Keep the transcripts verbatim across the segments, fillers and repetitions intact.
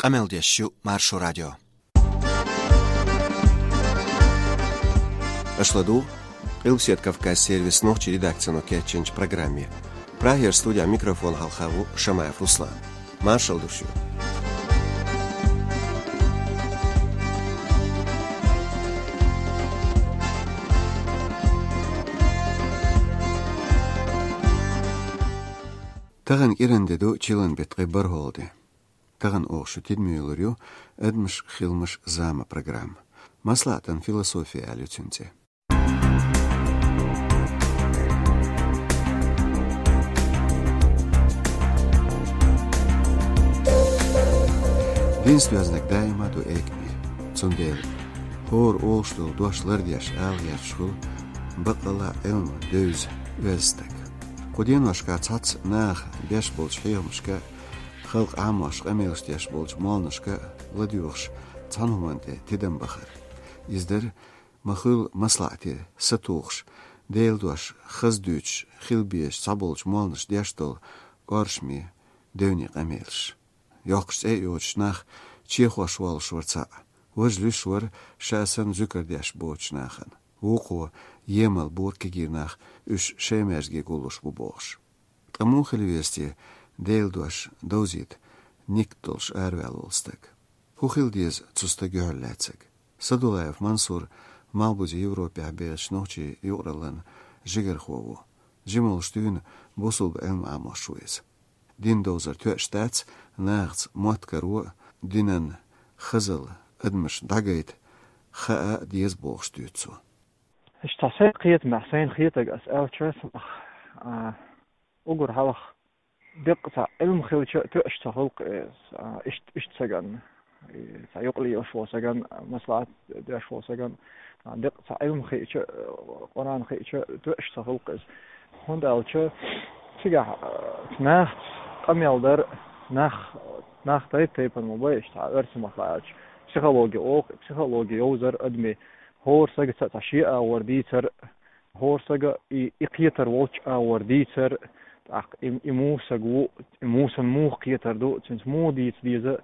Къамел деш ю Маршо радио. Аша ладугӀу Къилбседа Кавказ сервисан нохчийн редакцино кечйинчу программе. Прагера студехь микрофон хьалха ву Шамаев Руслан. Маршалла ду шуьга. Тахана кӀиран де ду, чиллан беттан ткъе бархӀалгӀа де. Тахана оха шун тидаме йиллар ю «Адамаш, хиламаш, зама» программа. МаслаӀатан философи аьлла ю цуьнан цӀе. Динца доьзнарг даима а ду экаме. Цундела хӀора олуш долу дош лардеш ала гӀерташ хуьлу баккъалла а Ӏилма девза, оьзда стаг. Кху деношкахь цхьацца наха беш болчу хьехамашка, халкъан Ӏамош къамелаш деш болчу молланашка ладоьгӀуш цхьана хӀуманна тӀе тидам бахар. Иза дара ма-хуьллу маслаӀате сатухуш, Делан дош хаза дуьйцуш хила безаш цхьаболчу молланаша деш долу кӀоршаме, девне къамелаш. Йоккхуш цӀе а йоцуш нах чехош воллуш вара цхьаъ. Важа луьйш вара ша санна зуькар деш боцучу нахана. Вукхо емал бора кегий нах, уьш шайн маьждиге гуллуш бу бохуш. Ткъа муха хила веза те Делан дош довзийта нигат долуш араваьлла волу стаг? ХӀун хила деза цу стага юьхьарлаьцнарг? Садулаев Мансур Малхбузе Европехь бехачу нохчийн юкъараллин жигархо ву. Жималш дуьйна бусулба Ӏилма Ӏамош ву иза. Дин довзар тоьаш дац, нахаца мотт каро, динан хазалла адамашна дӀагайта хаа деза бохуш дуьйцу цо. Иштта сайн кхетамехь, сайна хетарг ас аьлча, сунах, а, уггар хьалха деккъа цхьа Ӏилма хилча а тоьаш ца хуьлу-кх иза, а, иштта, иштта сагана, и, цхьа юкъа лелаш волу сагана, маслаӀат деш волу сагана, а, деккъа цхьа Ӏилма хиъча а, Къуръан хиъча а тоьаш ца хуьлу-кх иза. ХӀунда аьлча цигахь, а, нахаца къамел дар, нах, нах тайп-тайпана ма бу, иштта цхьа оьрсийн маттахь аьлча, психологи олу-кх, психологи йовзар адамийн, хӀора сагаца цхьа шен агӀор дийцар, хӀора сага и, и кхетар волчу агӀор дийцар, тӀаккха и, и муха саг ву, и муха санна муха кхетар ду, цуьнца муха дийца деза,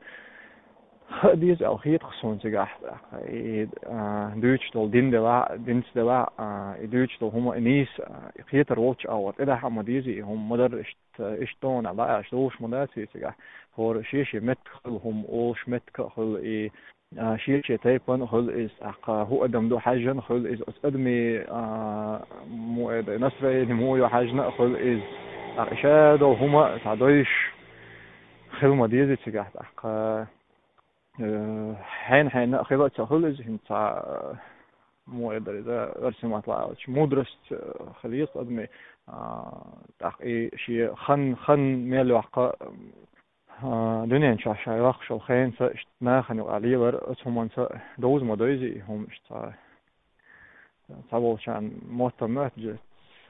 хаа деза аьлла хета-кх суна цигахь, тӀаккха и, а, дуьйцуш долу дин делахь а, динца делахь а, а, и дуьйцуш долу хӀума, и нийса, а, и кхетар волчу агӀор тӀедахьа а ма деза, и хӀума ма-дарра иштта, иштта тӀе а дӀа а аьлча, луш ма дац и цигахь. ХӀора шен-шен меттиг хуьлу хӀума, олуш меттиг а хуьлу и, а, шен-шен тайпана хуьлу иза, тӀаккха хӀун адам ду хьаьжжина хуьлу иза, оцу адамийн, а, муха эр ду, настроение муха ю хьаьжжина а хуьлу иза. ТӀаккха и ша долу хӀума цхьа дойуш хила ма деза цигахь, тӀаккха, э, хьенан-хьенан а хила а ца хуьлу иза, хӀинца цхьа, э, муха эр ду иза, оьрсийн маттахь аьлча, мудрость, э, хила еза адамийн, а, тӀаккха и шен хан, хан мел йоккху, а, дуьнен чохь ша йоккхуш йолу хенца иштта нахана юкъахь лелар, оцу хӀуманца довза ма дойза и хӀума иштта цхьа, цхьаболчарна мотт а моьтту,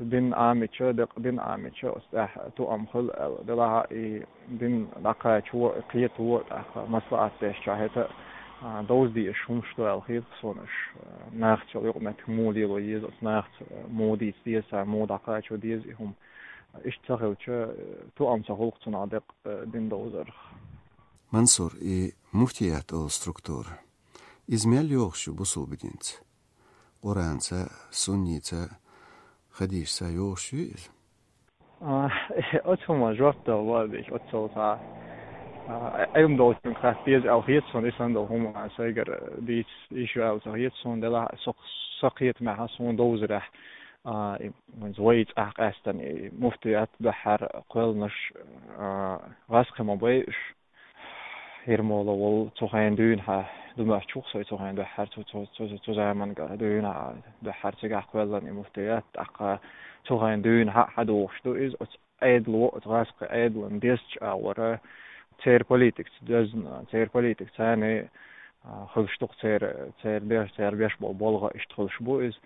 дин Ӏамийча, декъа дин Ӏамийча, оцу тӀехь тоам хуьлу аьлла. Делахь а и дин дӀакхачо, и кхето, тӀаккха маслаӀат деш чохь хӀета, а, довза дезаш хӀумаш ду аьлла хета-кх суна уьш, а, нахаца йолу юкъаметтиг муха лело еза, оцу нахаца, а, муха дийца деза, цара муха дӀакхачо деза и хӀума. Иштта ца хилча, э, тоам ца хуьлу-кх цунах декъа, э, дин довзарх. Мансур, и муфтият олу структура, иза мел йогӀуш ю бусулба динца? Къуранца, сунница, хадисца йогӀуш ю иза? А, оцу хӀуманна жоп дала ло а дийш, оццул цхьа, а, Ӏилма долчунга хатта деза аьлла хета суна, и санна долу хӀума сайгара дийца йиш ю аьлла ца хета суна, делахь а со, сан кхетамехь а, суна довзарехь, а, и, вайн вай цӀахь къаьстина и муфтият дуьххьара кхоьллинарш, а, гӀазкхи ма бай уьш. Ермолов волу цу хенахь дуьйна хьан, ду моьттуш ву-кх со и цу хенахь дуьххьара, цу, цу, цу, цу заманахь дуьйна хьан, дуьххьара цигахь кхоьллина и муфтият, тӀаккха цу хенахь дуьйна хьан а хьадогӀуш ду иза, оцу Ӏедало, оцу гӀазкхийн Ӏедалан дезачу агӀора, церан политикаца доьзна, церан политика царна, а, хуьлуш ду-кх церан, церан беш, церан беш болу болх а иштта хуьлуш бу иза.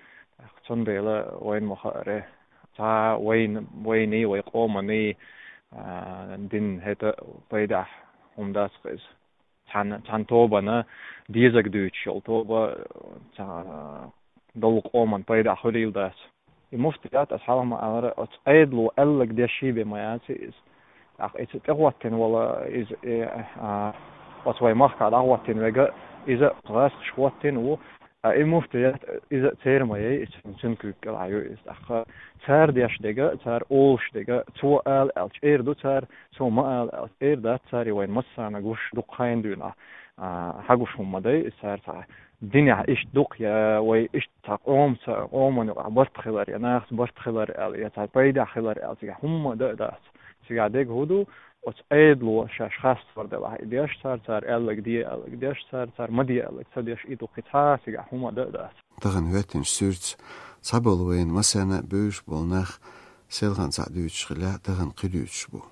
Цундела вайна ма хаара, цхьа вайна, вайний, вай къоманий, а, дин хӀета пайдехь хӀума дац-кх иза. Цхьана, цхьана тобанна дезарг дуьйцуш йолу тоба, цхьа, долу къоман пайдехь хуьлийла дац. И муфтият, ас хьалха ма аллара, оцу Ӏедало аьлларг деш бен ма яц иза. ТӀаккха иза тӀехӀоттина волу иза, и, а, Оцу вай махкахь дӀахӀоттийна верг а, иза а гӀазкхаша хӀоттийна ву, а и муфтият, иза а церан ма яй, и цуьнан, цуьнан куьйга кӀелахь ю иза. ТӀаккха цара деш дерг а, цара олуш дерг а, цо ала аьлча эр ду цара, цо ма ала аьлча эр дац цара, и вайна массарна гуш дукха хенахь дуьйна, а, хьагуш хӀума ма дай, иза цара цхьа динехь иштта ду-кх, я вай иштта цхьа къомаца, къомана юкъахь барт хилар, я нахаца барт хилар аьлла, я цхьа пайдехь хилар аьлла, цигахь хӀумма дан а дац. Цигахь дерг хӀун ду, оцу Ӏедало шаьш хастор делахь и деш цара, цара аьлларг де аьлларг деш цара, цара ма де аьлларг ца деш, и ду-кх, и цхьа а цигахь хӀумма дан а дац. Тахана хӀоьттинчу суьртаца цхьаболу вайна массарна а бевзаш болу нах селхана цхьаъ дуьйцуш хилла, тахана кхин дуьйцуш бу.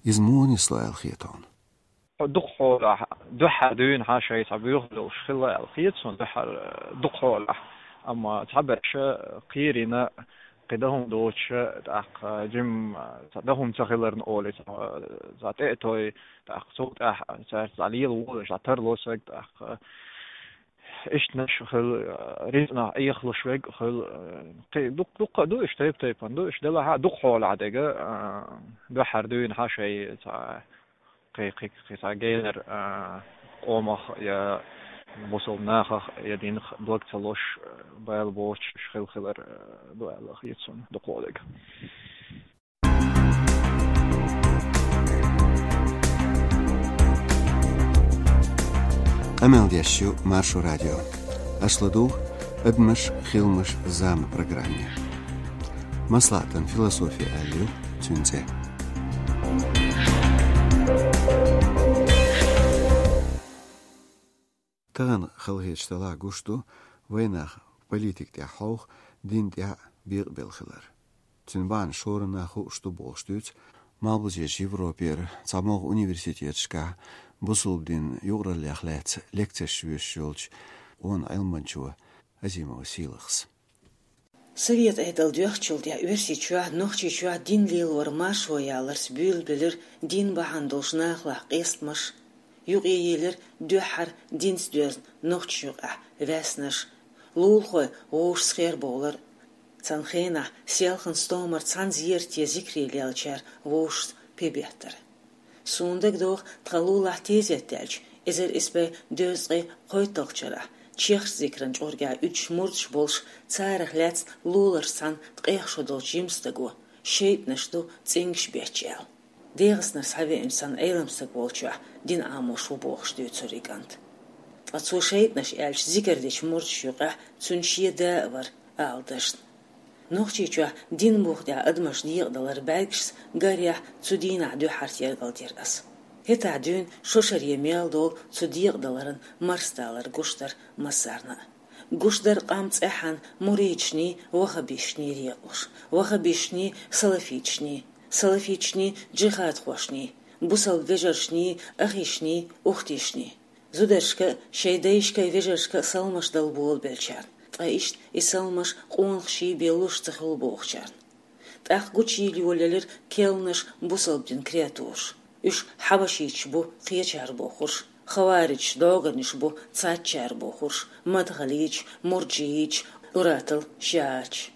Иза муха нисло аьлла хета хьуна? Дукха хьолахь, дуьххьара дуьйна хьан шайн цхьа буьйхуш долуш хилла аьлла хета суна, дуьххьара, э, дукха хьолахь. Амма цхьаберш кхерийна, кхин дан хӀума доцуш, тӀаккха жимма цхьа дан хӀума ца хиларна олий, цхьа, цхьа тӀе а той, тӀаккха цул тӀаьхьа цаьрца цхьа лела волуш, цхьа тарло стаг, тӀаккха иштанаш хила, рицкъанах Ӏехалуш верг хила, кхин дукха, дукха а ду уьш, тайп-тайпана ду уьш, делахь а дукха хьолахь дерг а, дуьххьара дуьйна хьан шайн цхьа кхин, кхин, кхин цхьа генара, а, къомах я бусалба нахах я динах благ ца луш, бала боцуш уьш хила хилар, а, ду аьлла хета суна дукхахдерг. Къамел деш ю Маршо радио. Аша ладугӀу «Адамаш, хиламаш, зама» программе. МаслаӀатан философи аьлла ю цуьнан цӀе. Тахана халахеташ делахь гуш ду, вайнах политика тӀехь хьовха, дин тӀехь бекъабелла хилар. Цуьнан бахьана шоранах хууш ду бохуш дуьйцу Малхбузерчу Европера цхьа могӀа университеташкахь бусалба динан юкъараллех лаьцна лекцеш вуьйцуш йолчу къона Ӏилманчо Азимова Сийлахьас. Совет Ӏедал доьхначул тӀаьхьа Оьрсийчохь, Нохчийчохь дин лелор маршо яларца буьйлабелира дин бахьана долуш нахалахь къестамаш, юкъаелира дуьххьара динца доьзна нохчашна юкъахь ваьснаш, лулахой вовшашца хер бовлар. Цхьана хенахь селхана стомара цхьана зерате зикре леллачара вовшашца пе беттар. Суна дагадогӀу, тхан лулахь тезет даьлча, эзар исс бӀе дезткъе кхойтталгӀачу шарахь, чехаш зикран чкъургехь уьдуш мурдаш болуш, царах лаьцна луларш цхьаьна ткъех шо долчу жима стага, шайтӀанаш ду цӀингаш бетташ аьлла. ДегӀастанара схьавеанчу цхьана Ӏелам стаг волчохь дин Ӏамош ву бохуш дуьйцура и кӀант. Ткъа цо шайтӀанаш аьлча зикар дечу мурдашна юкъахь цуьнан шен да а вара, ала дашна. Нохчийчохь дин буха тӀехь адамаш декъадалар бӀаьргашца гарехь цу дийнахь дуьххьара тергалдира ас. ХӀетахь дуьйна шо шаре мел долу цу декъадаларан марсадалар гуш дара массарна а. Гуш дара къам цӀеххьана муридашний, ваххабисташний декъалуш, ваххабисташний, салафиташний, салафиташний, джихадхошний, бусалба вежаршний, ахишний, ухтишний. Зударшка а, шайн дайшка а, вежаршка а саламаш дала болабеллачарна, ткъа иштта и саламаш къонахаший бен луш ца хуьлу бохучарна. ТӀаккха гучуйийла йолаелира кхелнаш бусалба динан креатураш. Уьш хьабашиташ бу кхечара бохурш, хаварижаш, догӀанаш бу цхьаччара бохурш, мадхалийча, мурджиийча, уратал шиӀача.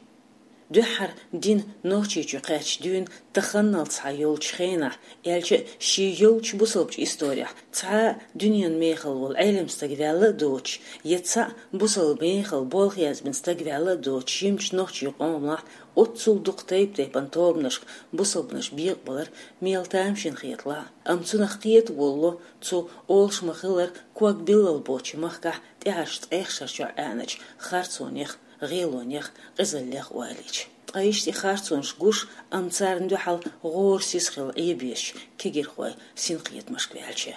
Дуьххьара дин Нохчийчу кхаьчча дуьйна таханлалц схьа йолчу хенахь, аьлча а шен йолчу бусалбачу исторехь, цхьа а дуьненан мехала волу Ӏелам стаг ваьлла а доцуш, я цхьаъ бусалба мехала болх язбина стаг ваьлла а доцуш, жимачу нохчийн къомалахь оццул дукха тайп-тайпана тобанашка бусалбанаш бекъабалар мел тамашийна хеталахь а, амма цунах кхета волало цу олуш ма-хиллара ког биллал боцчу махкахь тӀаьхьарчу ткъех шарчохь Ӏаьнарчу харцонех, гӀелонех, къизаллех ойла йича. Ткъа иштта и харцонаш гуш, амма царна дуьхьал гӀора сиз хилла Ӏебезачу кегирхойн синкхетамашка ваьлча.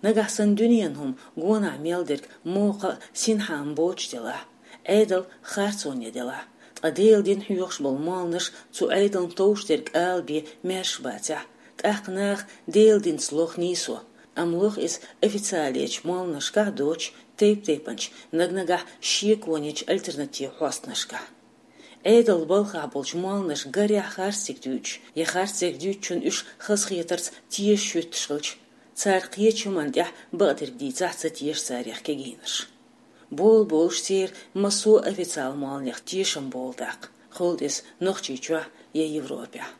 Нагахь санна дуьненан хӀума гонахь мел дерг мокха а, синхьа а ма боцуш делахь, Ӏедал харцоне делахь, ткъа Делан дин хьоьхуш болу молланаш цу Ӏедална товш дерг ала бен маьрша бацахь, тӀаккха наха Делан динца лоха нийсо, амма лоха иза официалечу молланашкахь а доцуш, тайп-тайпанчу, наг-нагахь шеконечу альтернативан хьостанашкахь. Ӏедалан балхахь болчу молланаша гарехь харцдерг дуьйцуш, я харцдерг дуьйцучунна уьш хазахетарца тешаш хӀуьттуш хилча, цара кхечу хӀуманна тӀехь бакъдерг дийцахь а ца теша царех кегийнарш. Болаболуш церан массо а официалан молланех тешам болу тӀаккха, хӀунда иза Нохчийчохь я Европехь.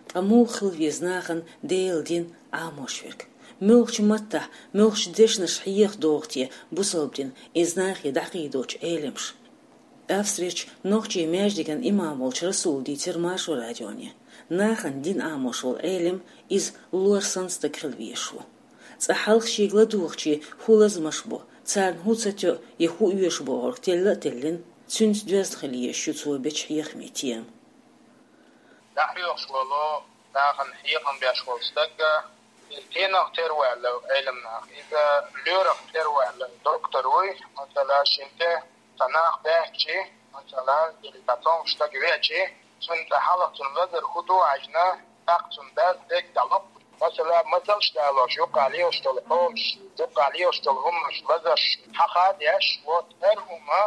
Ткъа муха хила веза нахана Делан дин Ӏамош верг? Муьлхачу маттахь, муьлхачу дешнаш хьеха догӀу те бусалба дин, иза нахе дӀакхийдочу Ӏеламаш? Австрерчу нохчийн маьждиган имам волчу Расула дийцира Маршо радионе: нахана дин Ӏамош волу Ӏелам, иза лор санна стаг хила везаш ву. Цкъа хьалха шега ладугӀучийн хӀун лазамаш бу, царна хӀун ца тоьу я хӀун оьшу бохург телла а теллина, цуьнца доьзна хила езаш ю цо бечу хьехамийн тема. ДӀахьоьхуш волу, нахана хьехам беш волу стаг, иза стенах тера ваьлла Ӏелам нах, иза лоьрах тера ваьлла доктор вуй, масала, шен тӀе цхьа нах баьхкичи, масала, или цхьа цомгуш стаг веачи, цунна тӀе хьалха цунна лазар хӀун ду аьлча, тӀаккха цунна дас дерг дӀалокху. Масала, мацаллаш далош, юккъахь лелаш долу хьолаш, юккъахь лелаш долу хӀуманаш, лазарш хьаха а деш, вот хӀара хӀума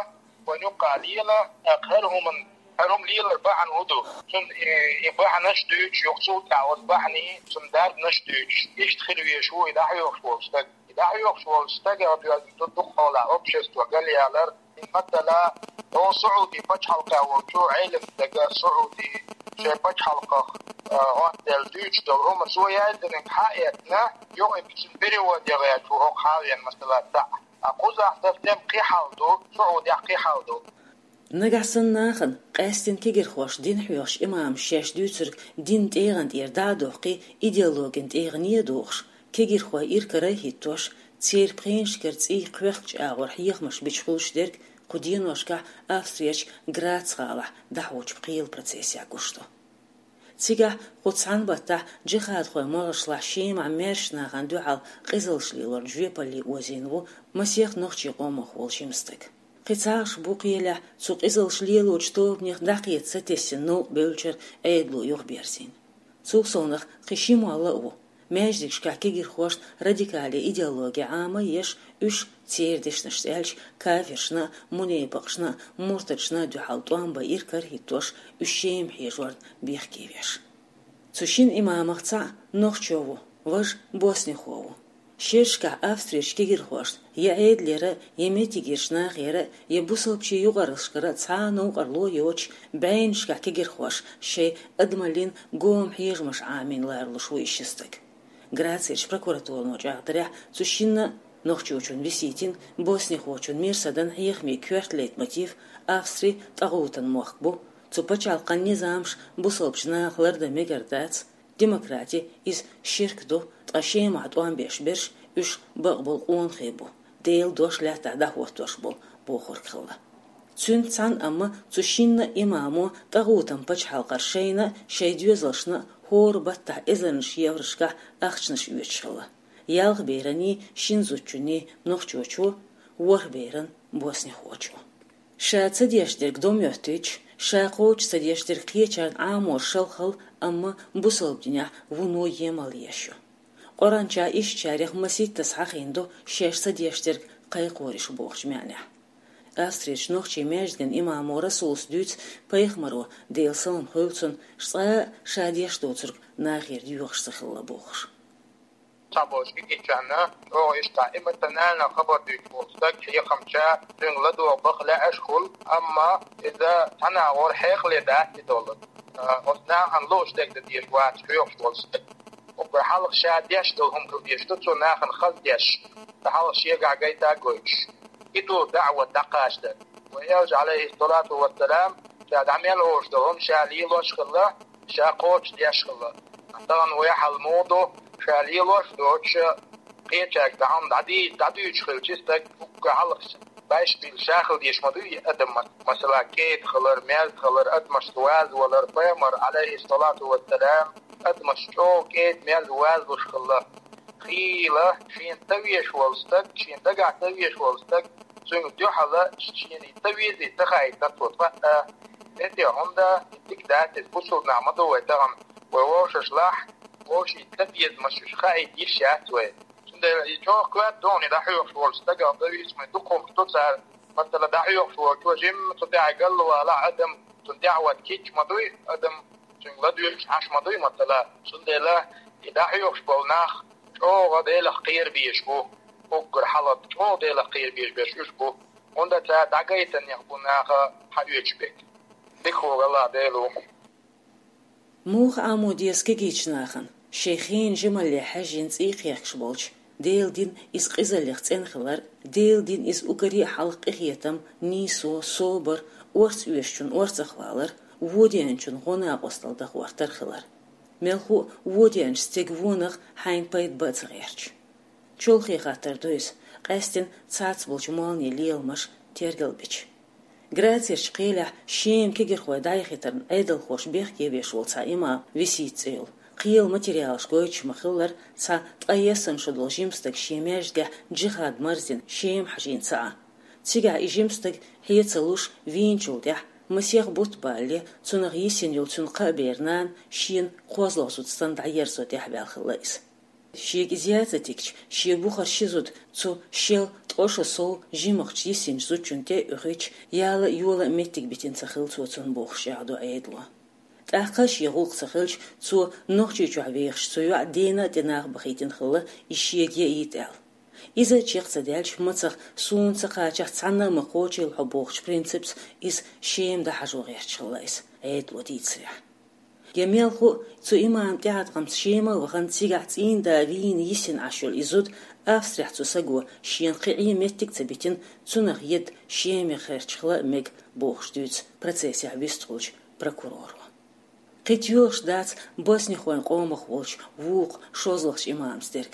вайн юккъахь лела, тӀаккха хӀара хӀуман, хӀара хӀума лелар бахьана хӀун ду? Цунна и, и бахьанаш дуьйцуш, юха цул тӀаьхьа оцу бахьанийн цунна дарбанаш дуьйцуш, иштта хила везаш ву и дӀахьоьхуш волу стаг. И дӀахьоьхуш волчу стагах доьзна ду дукха хьолахь общество галъялар. Масала, оха Саудийн пачхьалкхехь волчу Ӏелам стага, Саудийн шайн пачхьалкхах, а, гӀонделла дуьйцуш долу хӀума цо яздинарг хьа а эцна, юха и цуьнан перевод ян гӀерташ ву хӀокху хьа а веана, масала, цхьаъ. Ткъа кхузахь совсем кхин хьал ду, Саудехь кхин хьал ду. Нагахь санна нахана, къаьсттина кегирхошна дин хьоьхучу имамаша шаьш дуьйцург динан тӀегӀан тӀера дӀа а доккхий, идеологин тӀегӀане а дохуш, кегирхой иракарахӀиттош, церан пхенашкара цӀий кхоьхкучу агӀор хьехамаш бича хуьлуш дерг кху деношкахь Австрерчу Грац гӀалахь дӀахьочу пхелан процессехь гуш ду. Цигахь кху цхьана баттахь джихадхойн могӀаршлахь Шемахь маьршачу нахана дуьхьал къизаллаш лелорна жоьпалле озийна ву масех нохчийн къомах волу жима стаг. Кхин цхьа аш бу кхелехь цу къизаллаш лелочу тобанех дӀакхета сатесна новкъа бевллачуьра Ӏедало юхаберзийна. Цул совнаха кхин ши молла а ву. Маьждигашкахь кегирхошна радикале идеологи Ӏама а еш, уьш, церан дешнашца аьлча, кафиршна а, мунепакъашна а, муртадашна а дуьхьал тӀом бан иракарахӀиттош, уьш Шема хьежорна бехке веш. Цу шина имамах цхьаъ нохчо ву, важа боснихо ву. Шерашкахь Австрерчу кегирхошна, я Ӏедалера, я меттигерчу нахера, я бусалбачийн юкъараллашкара цхьа а новкъарло а йоцуш, бӀеннашкахь кегирхоша шайн адамаллин гоман хьежамаш Ӏамийна ларалуш ву и ши стаг. Грацерчу прокуратуро чӀагӀдарехь, цу шинна, нохчочун Виситин, боснихочун Мирсадан хьехамийн коьрта лейтмотив Австри тӀагӀутан мохк бу, цу пачхьалкхан низамаш бусалбачу нахах лардан мегар дац, демократи иза ширк ду, ткъа Шемахь тӀом беш берш уьш бакъболу къонахий бу, Делан дош лаьттахь дӀахӀоттош болу бохург хилла. Цуьнца цхьаьна амма цу шинна имамо тӀагӀутан пачхьалкхара шайна а, шайн доьзалшна а хӀора баттахь эзарнаш еврошкахь ахчанаш оьцуш хилла. Ялх бераний, шина зудчунний нохчочо, ворхӀ беран боснихочо. Ша ца деш дерг дом йоьттуьйтуш, ша кхочуш ца деш дерг кхечарна Ӏамор шалхалла, амма бусалба динехь вуно емал еш ю. Къуръанчохь ишттачарех масийттаза хьахийна ду шаьш ца деш дерг кхайкхораш бохучу маьӀнехь. Австрерчу нохчийн маьждиган имамо Расулас дуьйцу пайхамаро, Делан салам хуьлда цунна, цкъа а ша деш доцург нахера доьхуш ца хилла бохуш. Цхьаболчу кегийчарна чӀогӀа иштта эмоционально хабар дуьйцуш волу стаг хьехамча, цуьнга ладогӀа баха лаьаш хуьлу, амма иза цхьана агӀор хьекъале дац и долу. А, оцу нахана лууш дерг дан дезаш вац хьоьхуш волу стаг. Уггар хьалха ша деш долу хӀума хила дезаш ду цо нахана хаза деш, ткъа хьалха шегахь гайта а гойтуш. И ду даӀват дӀакхачадар. Вайн Элча, Ӏалайхиссалату вассалам, ша дӀа мел олуш долу хӀума ша лелош а хилла, ша кхочуш деш а хилла. Тахана вай хьал муха ду, ша лелош а доцуш, кхечаьрга дӀа хӀума дӀадийца, дӀадуьйцуш хилча, стаг уггар хьалха байшпил ша хила дезаш ма дуй и адам, масала, кӀеда хилар, мерза хилар, адамашца ваза валар, пайхамар, Ӏалайхиссалату вассалам, адамашца чӀогӀа кӀеда, мерза вазалуш хилла. Хийла шена ца везаш волу стаг, шена дагахь ца везаш волу стаг, цуьнга дуьхьала шена и ца везий, ца хаий, ца тхо тхаъ а. Эте хӀунда, и дика дац иза, бусулба нах ма ду вай тахана, вай вовшашлахь, вовшийн ца безамаш уьш хаийта йиш яц вай. Цундела и чӀогӀа коьрта догӀане дӀахьоьхуш волчу стагах зависимый дукха хӀумаш ду цара. Масала, дӀахьоьхуш волчо жимма цу тӀехь галвалахь адам, цунна тӀаьхьа вац кийча ма дуй адам, цуьнга ладоьгӀуш Ӏаш ма дуй, масала. Цундела и дӀахьоьхуш болу нах чӀогӀа Делах кхера безаш бу. Уггар хьалха чӀогӀа Делах кхера безаш берш уьш бу. ХӀунда аьлча дӀагайтанех бу наха хьаоьцуш берг. Дика вогӀу Аллах Дела ву. Муха Ӏамо деза кегийчу нахана, Шайн хенан жималле хьаьжжина цӀий кхехкаш болчу, Делан дин иза къизаллех цӀена хилар, Делан дин иза уггаре а хьалха къинхетам, нийсо, собар, орца оьшучун орцах валар, вон деанчун гӀо-накъостал дахойтар хилар. Мелхо а вон деанчу стеган вонах хьайна пайда бан а ца гӀерташ. Чолхе хаттар ду иза, къаьстина цхьацца болчу молланийн леламаш тергал бича. Грацерчу кхелехь Шема кегийрхой дӀаяхийтарна Ӏедалхоша бехке веш волу цхьа имам, Висита цӀе йолу, кхелан материалаш гойтуш ма-хиллара, цхьа ткъе ялх шо долу жима стаг шен маьждигехь джихад марздина Шема хьажийна ца Ӏа. Цигахь и жима стаг хье ца луш вийначул тӀаьхьа, масех бутт балале, цунах йисина йолу цуьнан кхаа бер нана шена кхозлагӀа зуда санна дӀаерзо тӀаьхьаваьлла хилла иза. Шега иза яц а тигча, шен бухара ши зуда цу шел ткъе шо сов жимахчу йисинчу зудчунна тӀе а оьхуьйтуш, яла а, йола а меттиг битина ца хилла цо цунна бохуш чӀагӀдо Ӏедало. ТӀаккха а шен гӀуллакх ца хилча, цо Нохчийчохь вехаш цу йоӀа дена а тӀе нах бахийтина хилла, иза шега яийта аьлла. Иза чекх ца даьлча, мацах суна ца кхачахь, цхьанна а ма кхочийла хьо бохучу принципца иза Шема дӀахьажо гӀерташ хилла иза, Ӏедало дийцарехь. Я мелхо а, цу имаман тӀеӀаткъамца Шема а вахана, цигахь цӀийнда вийна йисина Ӏаш йолу и зуда Австрехь цу саго шена кхин Ӏен меттиг а ца битина, цунах едда Шемах гӀерташ хила а мега бохуш дуьйцу процессехь вистхуьлучу прокуроро. Кхин тоьлуш дац боснихойн къомах волчу вукху шозлагӀчу имамца дерг.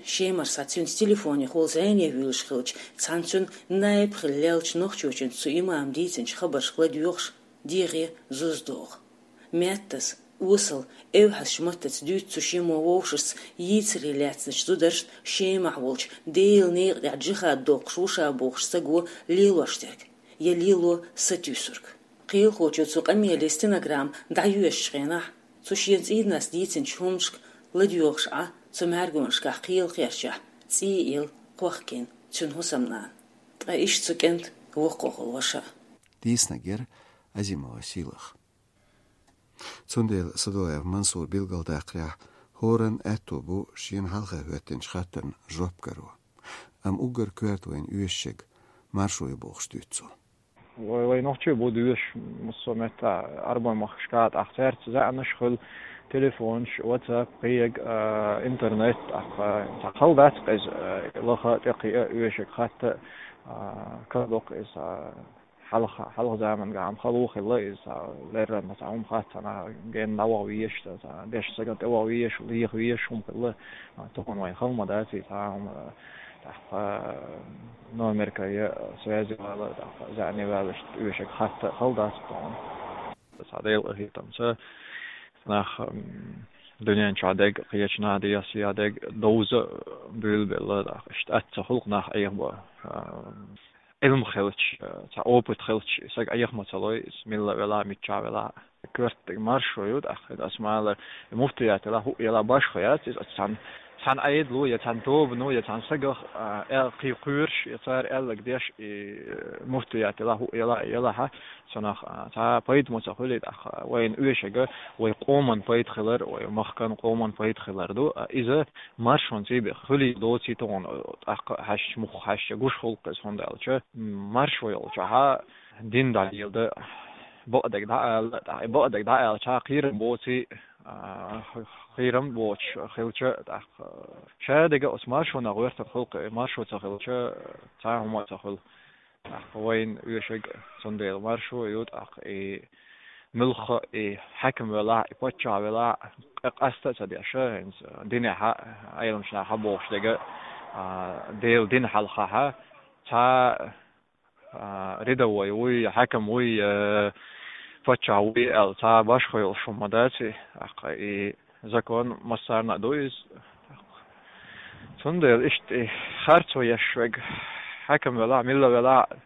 Шемара схьа цуьнца телефонехула зӀене вуьйлуш хилча, цхьана цуьнан наиб хилла леллачу нохчочуьнца цу имама дийцинчу хабаршка ладоьгӀуш, дегӀе зуза догӀу. Меттаза, осала, эвхьазчу маттаца дуьйцу цу Шеман вовшашца йийцаре лаьцначу зударшна Шемахь волчу Делан некъа тӀехь джихад доккхуш ву ша бохучу саго лелош дерг, я лело сатуьйсург. Кхелахочо цу къамеле стенограмма дӀайоьшучу хенахь, цу шен цӀийнанас дийцинчу хӀуманашка ладоьгӀуш Ӏа, цу мӀаьргонашкахь кхелахерчахь цӀий а елла кхохкийна цуьнан хӀусамнана. Ткъа иштта цу кӀентан воккхахула ваша а. Дийцинарг яра Азимова Сийлаха. Цундела Садулаев Мансура билгалдаккхарехь, хӀоранна аьтто бу шена хьалха хӀоьттинчу хаттарна жоп каро. Амма уггар коьрта вайна оьшург маршо ю бохуш дуьйцу цо. Вай, вай нохчий бу доьшуш массо а метта, Ӏарбойн махкашка, тӀаккха цаьрца заьӀнаш хуьлу, телефонаш, WhatsApp, кхин а, интернет, тӀаккха цхьа хала дац-кх иза, а, лаха, тӀекхиа, оьшург хатта, а, карадо-кх иза, а, хьалха, хьалха заманахь хала ву хилла иза, цхьа леррина цхьа хӀума хатта, цхьанхьа генна дӀаваха везаш, цхьа дешна стагана тӀеваха везаш, леха везаш хӀума хилла, а, тахана вайн хала ма дац иза, цхьа хӀума, тӀаккха номерка я связи вала, тӀаккха заьӀне ваьлла, иштта оьшург хатта хала дац тахана. Цхьа Делан къинхетамца нах, м, дуьнен чохь дерг, кхечу наха дӀасаян дерг довза буьйлабелла, тӀаккха иштта атта ца хуьлу-кх нах Ӏехабо, а, Ӏилма хилча, цхьа опыт хилча, саг Ӏеха ма ца лой, иза милла велахь а, миччахь велахь а. Коьртаниг маршо ю, тӀаккха аса ма-аллара, муфтият елахь, хӀуъа елахь, башхо яц иза, цхьана, цхьана Ӏедало я цхьана тобано я цхьана сагах, а, аьлла кхин кхоьруш, я цара аьлларг деш, и, э, муфтият елахь, хӀуъа елахь, елахь, цунах, а, цхьа пайда ма ца хуьлий, тӀаккха вайна оьшург вай къоман пайда хилар, вай махкан къоман пайда хилар ду. А, иза маршонца бен хуьлий доций тахана, тӀаккха хьаьжча, муха хьаьжча гуш хуьлу-кх иза, хӀунда аьлча, м, маршо йолчохь дин дӀалеладан бакъдерг дӀаала, тӀаккха и бакъдерг дӀааьлча кхерам боций, а, кхерам боцуш хилча, тӀаккха ша дерг оцу маршонах гӀоьртина хуьлу-кх, маршо ца хилча, цхьа а хӀума ца хуьлу. ТӀаккха вайна оьшург цундела маршо ю, тӀаккха и муьлхха а и хьаькам велахь а, и паччахь велахь а, къ-, къаста а ца деш, хӀинца динехь а, Ӏеламнаха бохуш дерг, а, Делан дина хьалхахь а, цхьа, а, рядовой вуй, хьаькам вуй, а, паччахь вуй аьлла, цхьа башхо йолуш хӀума ма дац и, тӀаккха и закон массарна а ду иза. Цундела иштта и харцо еш верг, хьаькам велахь а, милла велахь а,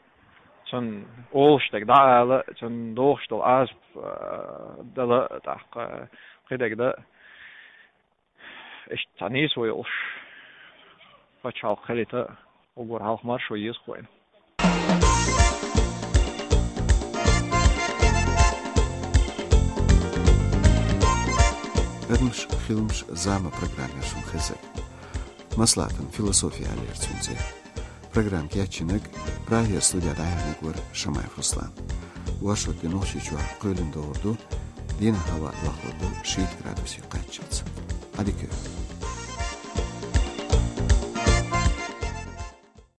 цунна олуш дерг дӀаала, цунна догӀуш долу Ӏазап, а, дала, тӀаккха кхидерг дан. Иштта цхьа нийсо йолуш пачхьалкх хилийта, уггар хьалха маршо еза-кх вайна. Адамаш, хиламаш, зама программера шуна хезара. Маслаӏатан философи аьллера цуьнан цӀе. Программа кечйинарг, Прагера студехь дӀаяьхьнарг вара Шамаев Руслан. Варшот де Нохчийчохь кхоьлина догӀур ду, дийнахь хӀаваъ дохлур ду шийтта градусе кхаччалц. Allez, cœur.